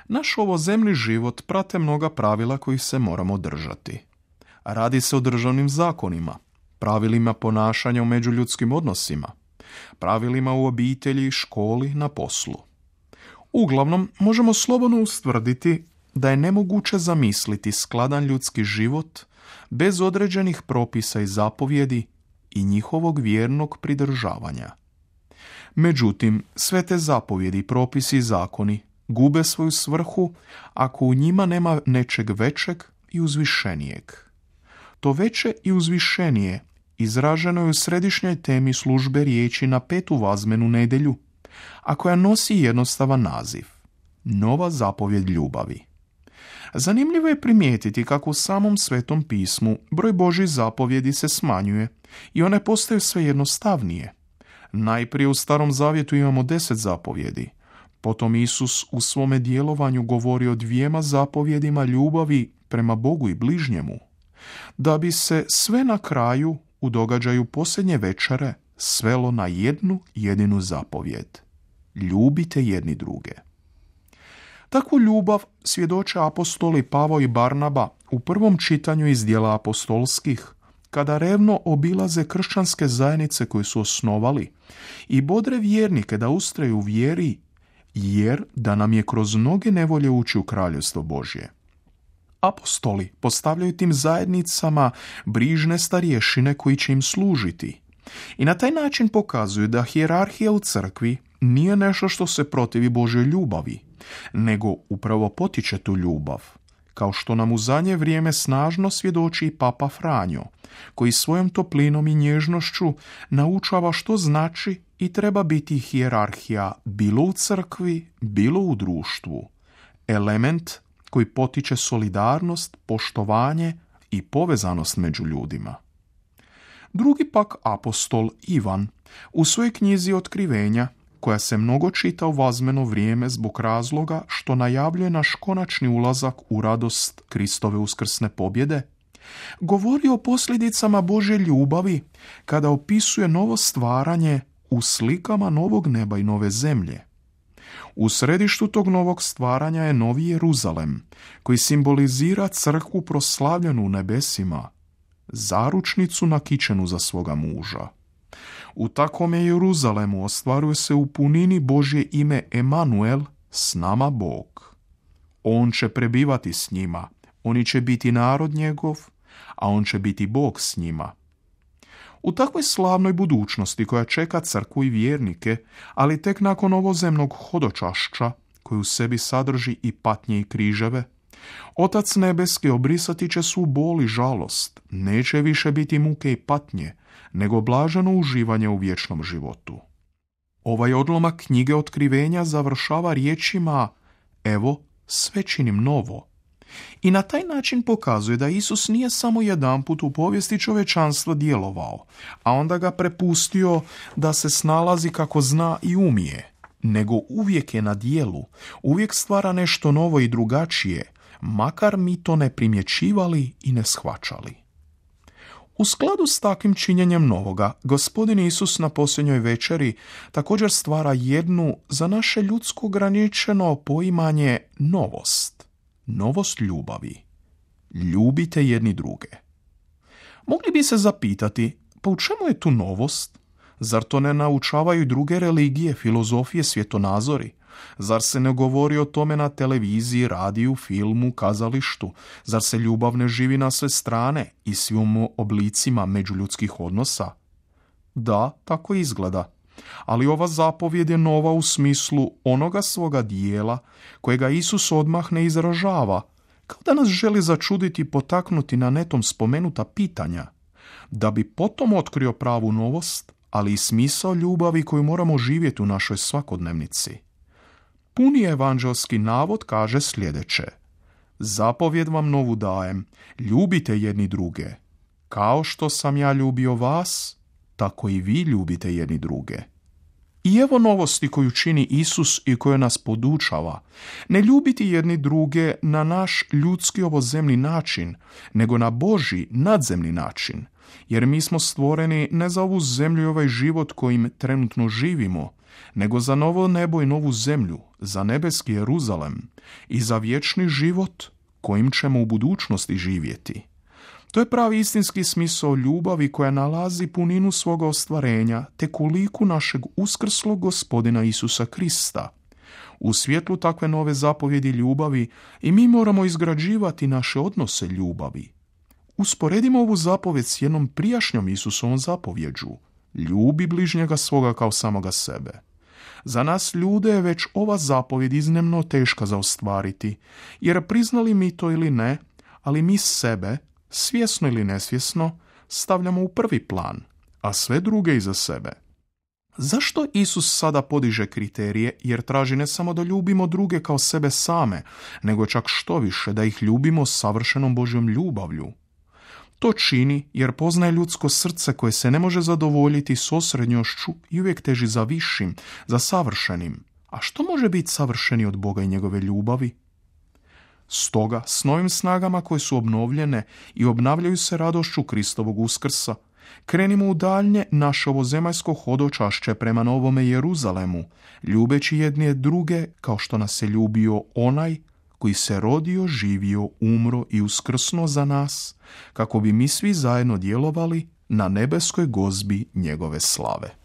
Naš ovozemni život prate mnoga pravila kojih se moramo držati. Radi se o državnim zakonima, pravilima ponašanja u međuljudskim odnosima, pravilima u obitelji, školi, na poslu. Uglavnom, možemo slobodno ustvrditi da je nemoguće zamisliti skladan ljudski život bez određenih propisa i zapovjedi i njihovog vjernog pridržavanja. Međutim, sve te zapovjedi, propisi i zakoni gube svoju svrhu ako u njima nema nečeg većeg i uzvišenijeg. To veće i uzvišenije izraženo je u središnjoj temi službe riječi na 5. vazmenu nedjelju, a koja nosi jednostavan naziv – Nova zapovjed ljubavi. Zanimljivo je primijetiti kako u samom Svetom pismu broj Božjih zapovjedi se smanjuje i one postaju sve jednostavnije. Najprije u Starom zavjetu imamo 10 zapovjedi, potom Isus u svome djelovanju govori o 2 zapovjedima ljubavi prema Bogu i bližnjemu, da bi se sve na kraju u događaju posljednje večere svelo na jednu jedinu zapovjed. Ljubite jedni druge. Takvu ljubav svjedoče apostoli Pavao i Barnaba u prvom čitanju iz djela apostolskih, kada revno obilaze kršćanske zajednice koje su osnovali i bodre vjernike da ustraju u vjeri, jer da nam je kroz mnoge nevolje ući u kraljevstvo Božje. Apostoli postavljaju tim zajednicama brižne starješine koji će im služiti i na taj način pokazuju da hijerarhija u crkvi nije nešto što se protivi Božjoj ljubavi, nego upravo potiče tu ljubav, kao što nam u zadnje vrijeme snažno svjedoči i Papa Franjo, koji svojom toplinom i nježnošću naučava što znači i treba biti hijerarhija bilo u crkvi, bilo u društvu. Element koji potiče solidarnost, poštovanje i povezanost među ljudima. Drugi pak apostol Ivan u svojoj knjizi Otkrivenja, koja se mnogo čita u vazmeno vrijeme zbog razloga što najavljuje naš konačni ulazak u radost Kristove uskrsne pobjede, govori o posljedicama Božje ljubavi kada opisuje novo stvaranje u slikama novog neba i nove zemlje. U središtu tog novog stvaranja je Novi Jeruzalem, koji simbolizira crkvu proslavljenu u nebesima, zaručnicu nakićenu za svoga muža. U takvome Jeruzalemu ostvaruje se u punini Božje ime Emanuel, s nama Bog. On će prebivati s njima, oni će biti narod njegov, a on će biti Bog s njima. U takvoj slavnoj budućnosti koja čeka crkvu i vjernike, ali tek nakon ovozemnog hodočašća, koji u sebi sadrži i patnje i križeve, Otac nebeski obrisati će svu bol i žalost, neće više biti muke i patnje, nego blaženo uživanje u vječnom životu. Ovaj odlomak knjige Otkrivenja završava riječima: evo, sve činim novo. I na taj način pokazuje da Isus nije samo jedanput u povijesti čovječanstva djelovao, a onda ga prepustio da se snalazi kako zna i umije, nego uvijek je na djelu, uvijek stvara nešto novo i drugačije, makar mi to ne primjećivali i ne shvaćali. U skladu s takvim činjenjem novoga, Gospodin Isus na posljednjoj večeri također stvara jednu za naše ljudsko ograničeno poimanje novost. Novost ljubavi. Ljubite jedni druge. Mogli bi se zapitati, pa u čemu je tu novost? Zar to ne naučavaju i druge religije, filozofije, svjetonazori? Zar se ne govori o tome na televiziji, radiju, filmu, kazalištu? Zar se ljubav ne živi na sve strane i svim oblicima međuljudskih odnosa? Da, tako izgleda. Ali ova zapovjed je nova u smislu onoga svoga dijela kojega Isus odmah ne izražava, kao da nas želi začuditi i potaknuti na netom spomenuta pitanja, da bi potom otkrio pravu novost, ali i smisao ljubavi koju moramo živjeti u našoj svakodnevnici. Puni evanđelski navod kaže sljedeće: zapovjed vam novu dajem, ljubite jedni druge. Kao što sam ja ljubio vas, tako i vi ljubite jedni druge. I evo novosti koju čini Isus i koja nas podučava. Ne ljubiti jedni druge na naš ljudski ovozemni način, nego na Božji nadzemni način. Jer mi smo stvoreni ne za ovu zemlju i ovaj život kojim trenutno živimo, nego za novo nebo i novu zemlju, za nebeski Jeruzalem i za vječni život kojim ćemo u budućnosti živjeti. To je pravi istinski smisao ljubavi koja nalazi puninu svoga ostvarenja tek u liku našeg uskrslog Gospodina Isusa Krista. U svjetlu takve nove zapovjedi ljubavi i mi moramo izgrađivati naše odnose ljubavi. Usporedimo ovu zapovjed s jednom prijašnjom Isusovom zapovjeđu. Ljubi bližnjega svoga kao samoga sebe. Za nas ljude je već ova zapovjed iznimno teška za ostvariti, jer priznali mi to ili ne, ali mi sebe, svjesno ili nesvjesno, stavljamo u prvi plan, a sve druge iza sebe. Zašto Isus sada podiže kriterije, jer traži ne samo da ljubimo druge kao sebe same, nego čak što više da ih ljubimo savršenom Božjom ljubavlju? To čini jer poznaje ljudsko srce koje se ne može zadovoljiti s osrednjošću i uvijek teži za višim, za savršenim. A što može biti savršeni od Boga i njegove ljubavi? Stoga, s novim snagama koje su obnovljene i obnavljaju se radošću Kristovog uskrsa, krenimo u daljnje naše ovozemaljsko hodočašće prema Novome Jeruzalemu, ljubeći jedne druge kao što nas je ljubio onaj koji se rodio, živio, umro i uskrsnuo za nas, kako bi mi svi zajedno djelovali na nebeskoj gozbi njegove slave.